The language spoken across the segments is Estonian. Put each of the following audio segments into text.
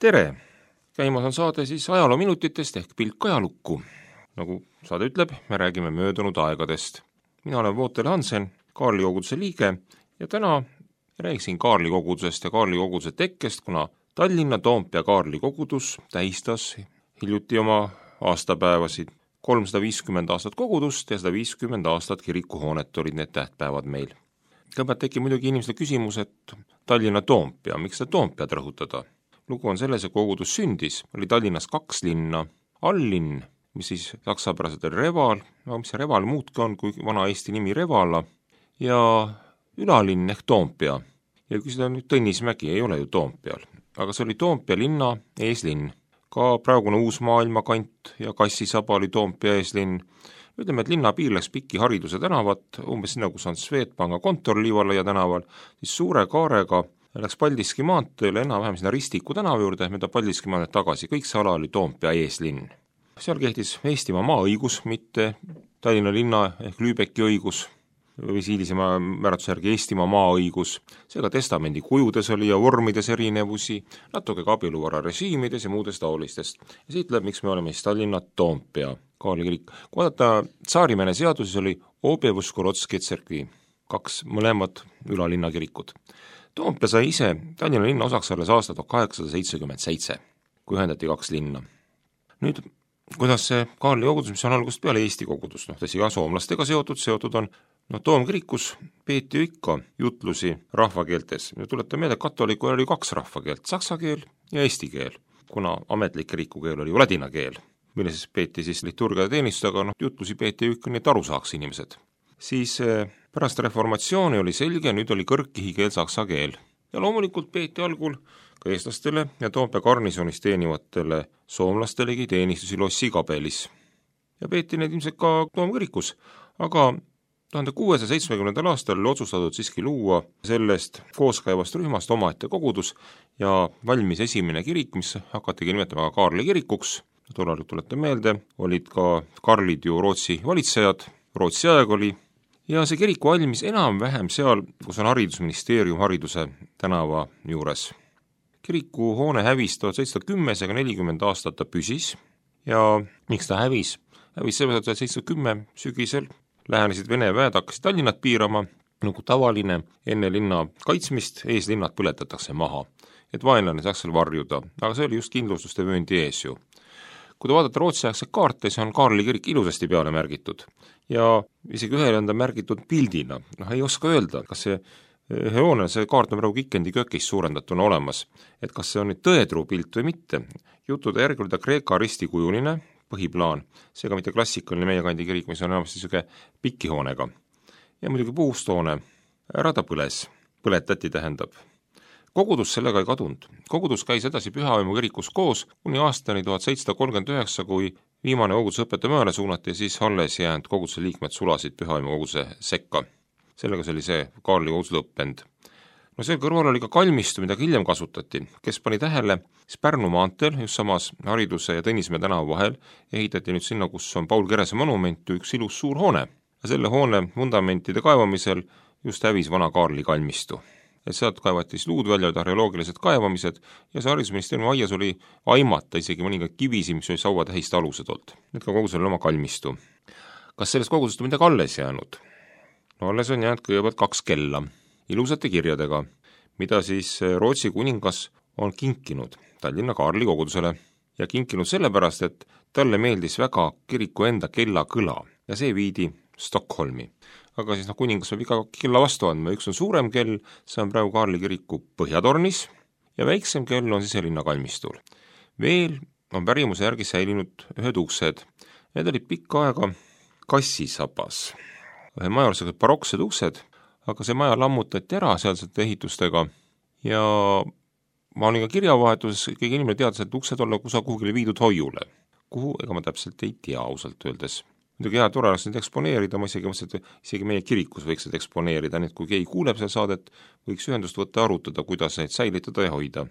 tere! Käimas on saade siis ajaloominutitest ehk pilk ajalukku. Nagu saade ütleb, me räägime möödunud aegadest. Mina olen Vootel Hansen, Kaarli koguduse liige ja täna räägiksin Kaarli kogudusest ja Kaarli koguduse tekkest, kuna Tallinna Toompea Kaarli kogudus tähistas hiljuti oma aastapäevasid. 350 aastat kogudust ja 150 aastat kirikuhoonet olid need tähtpäevad meil. Kõigepealt tekib muidugi inimesele küsimus, et Tallinna Toompea, miks seda Toompead rõhutada? Lugu on selles, et kogudus sündis, oli Tallinnas 2 linna, alllinn, mis siis saksapäraselt oli Reval, mis see Reval muudki on kui vana Eesti nimi Revala, ja ülalinn ehk Toompea. Ja kui seda nüüd Tõnismägi ei ole ju Toompeal, aga see oli Toompea linna eeslinn. Ka praegune Uus-Maailma kant ja Kassisaba oli Toompea eeslinn. Ütleme, et linna piir läks Piki Hariduse tänavat, umbes sinna, kus on Swedbanka kontor Liivalaia tänaval, siis suure kaarega läks Paldiski maanteele enam-vähem sinna Ristiku tänava juurde, mööda Paldiski maanteed tagasi, kõik see ala oli Toompea eeslinn. Seal kehtis Eestimaa maaõigus, mitte Tallinna linna ehk Lübecki õigus, või hilisema määratluse järgi Eestimaa maaõigus, seega testamendi kujudes oli ja vormides erinevusi, natuke ka abieluvara režiimides ja muudest taolistest. Ja siit läheb, miks me oleme siis Tallinna Toompea Kaarli kirik. Kui vaadata Tsaarimäe seaduses oli Obevuskorodski tserkvi, 2 mõlemad ülalinna kirikud. Toompea sai ise Tallinna linna osaks alles aasta 1877, kui ühendati 2 linna. Nüüd, kuidas see Kaarli kogudus, mis on algusest peale Eesti kogudus, tõsi ka soomlastega seotud on, Toomkirikus peeti ju ikka jutlusi rahvakeeltes. Tuletan meelde, et katolikul oli 2 rahvakeelt, saksa keel ja eesti keel, kuna ametlik kirikukeel oli ju ladina keel, mille siis peeti siis liturgia teenistusega, jutlusi peeti ju ikka nii, et aru saaks inimesed. Siis pärast reformatsiooni oli selge, nüüd oli kõrgkihikeel saksa keel. Ja loomulikult peeti algul ka eestlastele ja Toompea garnisoonis teenivatele soomlastelegi teenistusi Lossi kabelis. Ja peeti need ilmselt ka Toomkirikus, aga 1670. aastal oli otsustatud siiski luua sellest kooskäivast rühmast omaette kogudus ja valmis esimene kirik, mis hakatigi nimetama Kaarli kirikuks. Tollal tuletan meelde, olid ka Karlid ju Rootsi valitsejad, Rootsi aeg oli, ja see kirik valmis enam-vähem seal, kus on haridusministeerium Hariduse tänava juures. Kiriku hoone hävis 1710, seega 40 aastat ta püsis ja miks ta hävis? Hävis sellepärast, et 1710 sügisel lähenesid Vene väed, hakkasid Tallinnat piirama, nagu tavaline enne linna kaitsmist, eeslinnad põletatakse maha, et vaenlane saaks seal varjuda, aga see oli just kindlustuste vööndi ees ju. Kui te vaadate Rootsi-aegset kaarte, see on Kaarli kirik ilusasti peale märgitud ja isegi ühele on ta märgitud pildina, ei oska öelda, kas see hoone, see kaart on praegu Kikendi kökis suurendatuna olemas, et kas see on nüüd tõetruu pilt või mitte. Jutude järgi oli ta Kreeka ristikujuline põhiplaan, seega mitte klassikaline meie kandi kirik, mis on enamasti niisugune pikihoonega. Ja muidugi puusthoone, ära ta põletati tähendab. Kogudus sellega ei kadunud. Kogudus käis edasi Pühavaimu kirikus koos kuni aastani 1739, kui viimane kogudusõpetaja mööle suunati ja siis alles jäänud koguduse liikmed sulasid Pühavaimu koguduse sekka. Sellega see oli see Kaarli kogudus lõppend. See kõrval oli ka kalmistu, mida hiljem kasutati, kes pani tähele, siis Pärnu maanteel, just samas Hariduse ja Tõnismäe tänava vahel, ehitati nüüd sinna, kus on Paul Kerese monument, üks ilus suur hoone. Ja selle hoone fundamentide kaevamisel just hävis vana Kaarli kalmistu. Et sealt kaevati luud välja, arheoloogilised kaevamised ja see haridusministeeriumi aias oli aimata isegi mõningaid kivisi, mis oli sauatähiste alused olnud. Need ka kogudusel oma kalmistu. Kas sellest kogudusest on midagi alles jäänud? Alles on jäänud kõigepealt 2 kella ilusate kirjadega, mida siis Rootsi kuningas on kinkinud Tallinna Kaarli kogudusele ja kinkinud sellepärast, et talle meeldis väga kiriku enda kellakõla ja see viidi Stockholmi. Aga siis kuningas võib iga kella vastu andma, üks on suurem kell, see on praegu Kaarli kiriku põhjatornis ja väiksem kell on siselinna kalmistul. Veel on pärimuse järgi säilinud ühed uksed, need olid pikka aega Kassisabas. Ühe maja olid baroksed uksed, aga see maja lammutati ära sealsete ehitustega ja ma olin ka kirjavahetuses, kõige inimene teadis, et uksed olla kuhugile viidud hoiule. Kuhu, ega ma täpselt ei tea ausalt öeldes. Muidugi hea tore oleks neid eksponeerida, ma isegi meie kirikus võiks neid eksponeerida, nii et kui keegi kuuleb seda saadet, võiks ühendust võtta arutada, kuidas neid säilitada ja hoida.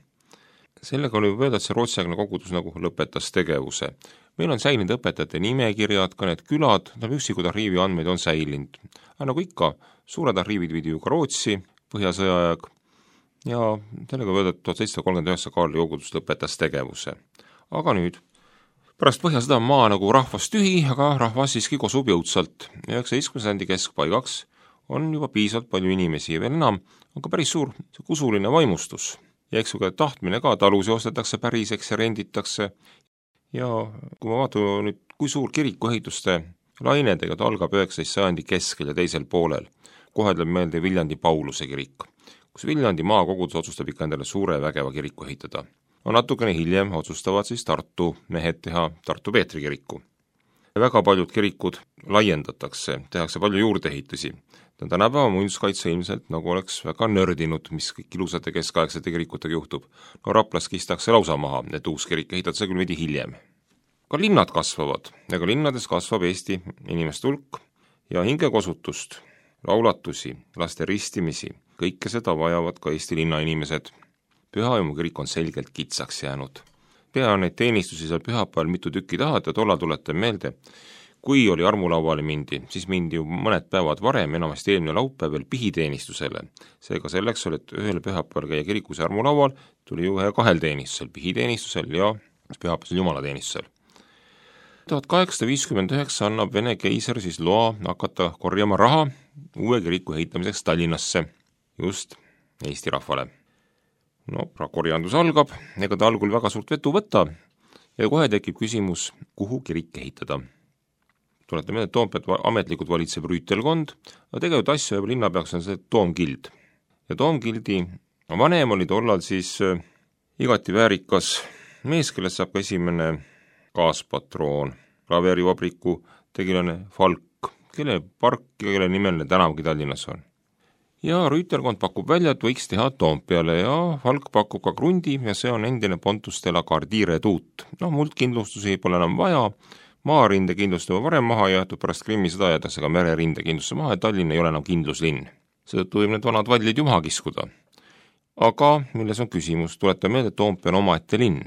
Sellega oli öelda, et see rootsiaegne kogudus nagu lõpetas tegevuse. Meil on säilinud õpetajate nimekirjad, ka need külad, üksikud arhiivi andmeid on säilinud. Aga nagu ikka, suured arhiivid viidi ju ka Rootsi, Põhjasõja aeg, ja sellega öelda, et 1739 Kaarli kogudus lõpetas tegevuse. Aga nüüd, pärast Põhjasõda on maa nagu rahvast tühi, aga rahvas siiski kosub jõudsalt. 19. sajandi keskpaigaks on juba piisavalt palju inimesi ja veel enam on ka päris suur usuline vaimustus. Ja eks ka tahtmine ka, talusi ostetakse päriseks ja renditakse. Ja kui ma vaatan nüüd, kui suur kirikuehituste laine tegelikult algab 19. sajandi keskel ja teisel poolel, kohe tuleb meelde Viljandi Pauluse kirik, kus Viljandi maakogudus otsustab ikka endale suure vägeva kiriku ehitada. No natukene hiljem otsustavad siis Tartu mehed teha Tartu Peetri kiriku. Väga paljud kirikud laiendatakse, tehakse palju juurdeehitusi. Tänapäeva muinsuskaitse ilmselt nagu oleks väga nördinud, mis kõik ilusate keskaegsete kirikutega juhtub. No Raplas kistakse lausa maha, et uus kirik ehitatakse küll veidi hiljem. Ka linnad kasvavad ja ka linnades kasvab Eesti inimeste hulk ja hingekosutust, laulatusi, laste ristimisi, kõike seda vajavad ka Eesti linnainimesed. Pühajõmu kirik on selgelt kitsaks jäänud. Pea on neid teenistusi seal pühapäeval mitu tükki tahad ja tollal tuletan meelde, kui oli armulauale mindi, siis mindi ju mõned päevad varem, enamasti eelmine laupäev veel pihiteenistusele. Seega selleks oli, et ühel pühapäeval käia kirikus armulaual, tuli ju kahel teenistusel, pihiteenistusel ja pühapäevasel jumalateenistusel. 1859 annab Vene keiser siis loa hakata korjama raha uue kiriku ehitamiseks Tallinnasse, just Eesti rahvale. No, korjandus algab, ega ta algul väga suurt vetu võtta ja kohe tekib küsimus, kuhu kirik ehitada. Tulete meelde, et Toompead ametlikult valitseb rüütelkond, aga tegelikult asju ja linnapeaks on see Toomgild. Ja Toomgildi vanem oli tollal siis igati väärikas mees, kellest saab ka esimene kaaspatroon, klavervabriku tegelane Falk, kelle park ja kelle nimeline tänavgi Tallinnas on. Ja rüütelkond pakub välja, et võiks teha Toompeale ja Falk pakub ka krundi ja see on endine Pontus de la Gardire tuut. Muldkindlustusi pole enam vaja, maarinde kindlust juba varem maha jäetud, pärast Krimmi sõda jäetakse ka mererinde kindlusse maha ja Tallinn ei ole enam kindluslinn. Seetõttu võib need vanad vallid ju maha kiskuda. Aga milles on küsimus, tuleta meelde, et Toompea on omaette linn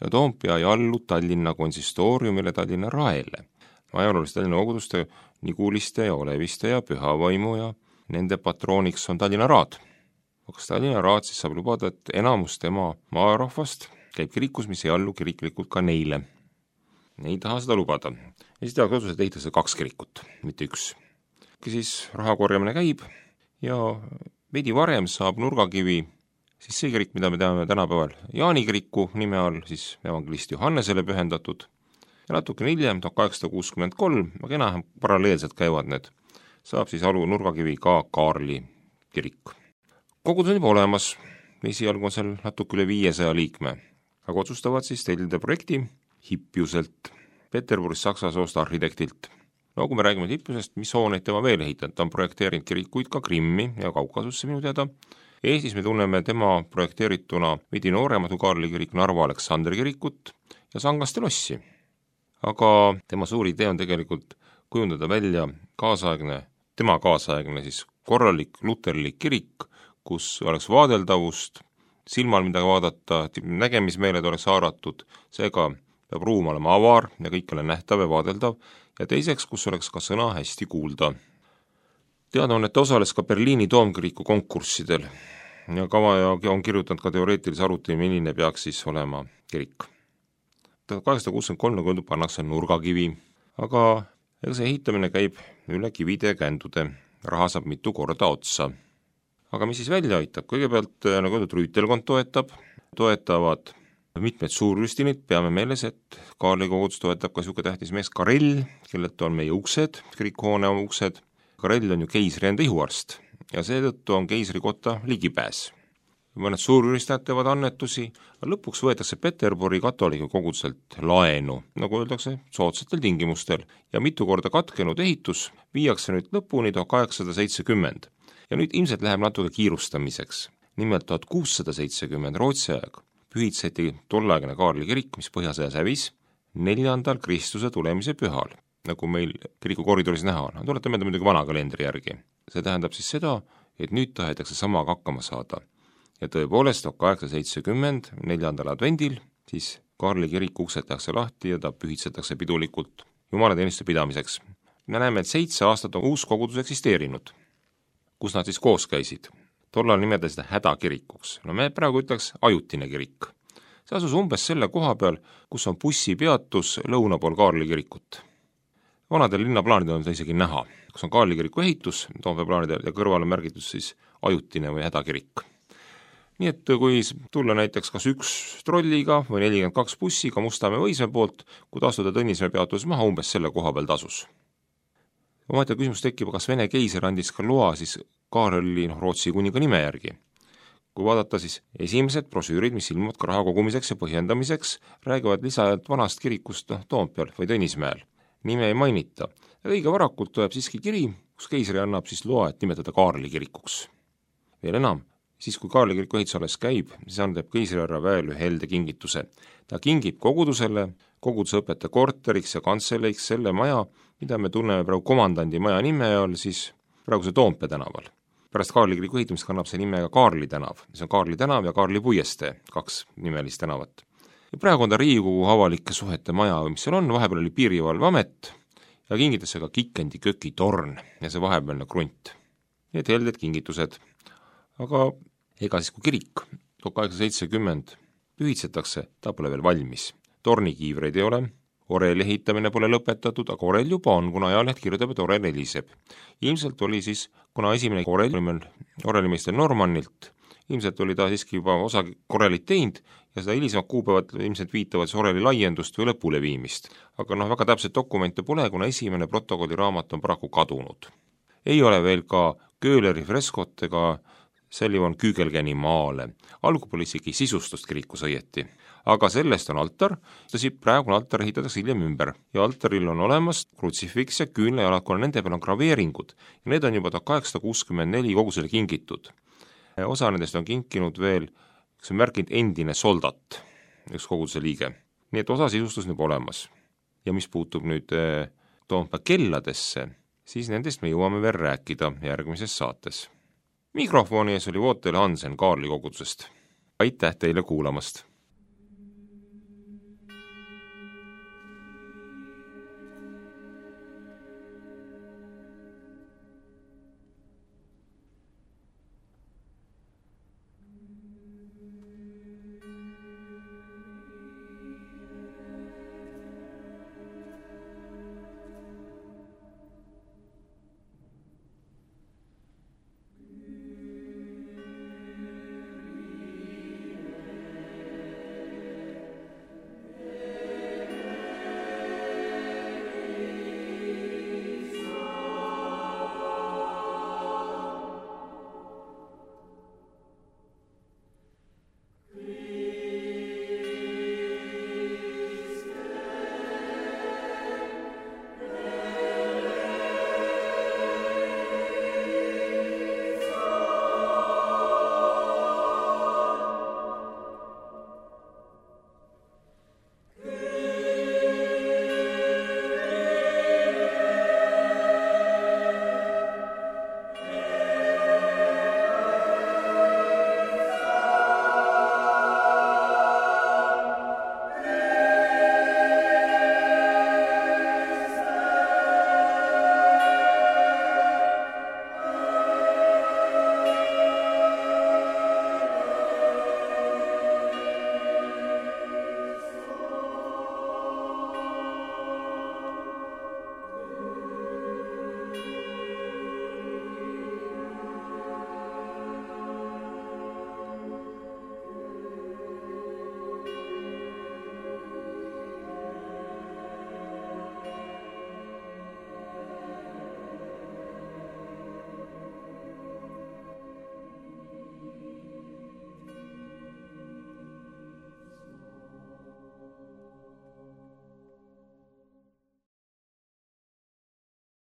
ja Toompea ei allu Tallinna konsistooriumile, Tallinna raele. Ajalooliste Tallinna koguduste Niguliste ja Oleviste ja Pühavaimu ja nende patrooniks on Tallinna raad. Kas Tallinna raad siis saab lubada, et enamus tema maarahvast käib kirikus, mis ei allu kiriklikult ka neile. Ei taha seda lubada. Ja siis tehakse otsus, et ehitatakse 2 kirikut, mitte 1. Siis rahakorjamine käib ja veidi varem saab Nurgakivi siis see kirik, mida me teame tänapäeval Jaani kiriku nime all, siis evangelist Johannesele pühendatud. Ja natuke hiljem, 1863, aga enam paralleelselt käivad need, saab siis alu Nurgakivi ka Kaarli kirik. Kogudus on juba olemas, esialgu on seal natuke üle 500 liikme, aga otsustavad siis tellida projekti Hippiuselt, Peterburgis saksa soost arhitektilt. No kui me räägime Hippiusest, mis hooneid tema veel ehitanud, ta on projekteerinud kirikuid ka Krimmi ja Kaukasusse minu teada. Eestis me tunneme tema projekteerituna veidi noorematu Kaarli kirik Narva Aleksandri kirikut ja Sangaste lossi. Aga tema suur idee on tegelikult kujundada välja tema kaasaegne siis korralik luterlik kirik, kus oleks vaadeldavust, silmal midagi vaadata, nägemismeeled oleks haaratud, seega peab ruum olema avar ja kõik ole nähtav ja vaadeldav ja teiseks, kus oleks ka sõna hästi kuulda. Teada on, et ta osales ka Berliini Toomkiriku konkurssidel ja on kirjutanud ka teoreetilise arutelu, milline peaks siis olema kirik. 1863 nagu öeldud pannakse Nurgakivi, aga see ehitamine käib üle kivide ja kändude, raha saab mitu korda otsa. Aga mis siis välja aitab? Kõigepealt, nagu öeldud, rüütelkond toetavad mitmed suurrüstinid, peame meeles, et Kaarli kogudus toetab ka niisugune tähtis mees Karell, kellelt on meie uksed, kirikuhoone uksed. Karell on ju keisri enda ihuarst ja seetõttu on keisri kotta ligipääs. Mõned suurüristajad teevad annetusi, aga lõpuks võetakse Peterburi katoliku koguduselt laenu, nagu öeldakse, soodsatel tingimustel ja mitu korda katkenud ehitus viiakse nüüd lõpuni 1870 ja nüüd ilmselt läheb natuke kiirustamiseks. Nimelt 1670 Rootsi aeg pühitseti tollaegne Kaarli kirik, mis põhjasõjas hävis 4. Kristuse tulemise pühal, nagu meil kiriku koridoris näha on. Tulete meelde muidugi vana kalendri järgi. See tähendab siis seda, et nüüd tahetakse samaga hakkama saada. Ja tõepoolest 1870 4. advendil siis Kaarli kirik uksed tehakse lahti ja ta pühitsetakse pidulikult jumalateenistuse pidamiseks. Me näeme, et 7 aastat on uus kogudus eksisteerinud, kus nad siis koos käisid. tollal nimeda seda hädakirikuks. No me praegu ütleks ajutine kirik. See asus umbes selle koha peal, kus on bussipeatus lõuna pool Kaarli kirikut. Vanadel linnaplaanidel on seda isegi näha, kus on Kaarli kiriku ehitus, Toompea plaanidel, ja kõrval on märgitud siis ajutine või hädakirik. Nii et kui tulla näiteks kas üks trolliga või 42 bussiga Mustamäe Võismäe poolt, kui tasuda Tõnismäe peatus maha, umbes selle koha peal tasus. Omaette küsimus tekib, kas Vene keiser andis ka loa siis Kaarli Rootsi kuninga nime järgi. Kui vaadata siis esimesed brosüürid, mis ilmuvad ka raha kogumiseks ja põhjendamiseks, räägivad lisajalt vanast kirikust Toompeal või Tõnismäel. Nime ei mainita. Ja õige varakult tuleb siiski kiri, kus keisri annab siis loa, et nimetada Kaarli kirikuks. Veel enam, siis kui Kaarli kiriku ehitus alles käib, siis annab keisrihärra väel ühe helde kingituse. Ta kingib kogudusele, koguduse õpetaja korteriks ja kantseleeks selle maja, mida me tunneme praegu komandandi maja nime all, siis praeguse Toompea tänaval. Pärast Kaarli kiriku ehitumist kannab see nime ka Kaarli tänav. See on Kaarli tänav ja Kaarli puiestee, 2 nimelist tänavat. Ja praegu on ta Riigikogu avalike suhete maja, mis seal on, vahepeal oli Piirivalveamet ja kingitas see ka Kikendi kökitorn ja see vahepealne krunt. Need helded kingitused. Aga ega siis kui kirik 1870 pühitsetakse, ta pole veel valmis. Tornikiivreid ei ole, oreli ehitamine pole lõpetatud, aga orel juba on, kuna ajaleht kirjutab, et orel heliseb. Ilmselt oli siis, kuna esimene orelimeistel Normannilt, ilmselt oli ta siiski juba osa orelit teinud ja seda hilisemad kuupäevad ilmselt viitavad siis oreli laiendust või lõpule viimist. Aga väga täpselt dokumente pole, kuna esimene protokolliraamat on paraku kadunud. Ei ole veel ka Köhleri freskot ega Sullivan Kügelgeni maale. Algul pole isegi sisustust kirikus õieti. Aga sellest on altar, praegune altar ehitatakse hiljem ümber ja altaril on olemas krutsifiks ja küünlajalad, kuna nende peal on graveeringud ja need on juba 1864 kogusele kingitud. Osa nendest on kinkinud veel, kes on märkinud endine soldat, üks koguduse liige. Nii et osa sisustus nüüd olemas. Ja mis puutub nüüd Toompea kelladesse, siis nendest me jõuame veel rääkida järgmises saates. Mikrofoni ees oli Vootel Hansen Kaarli kogudusest. Aitäh teile kuulamast!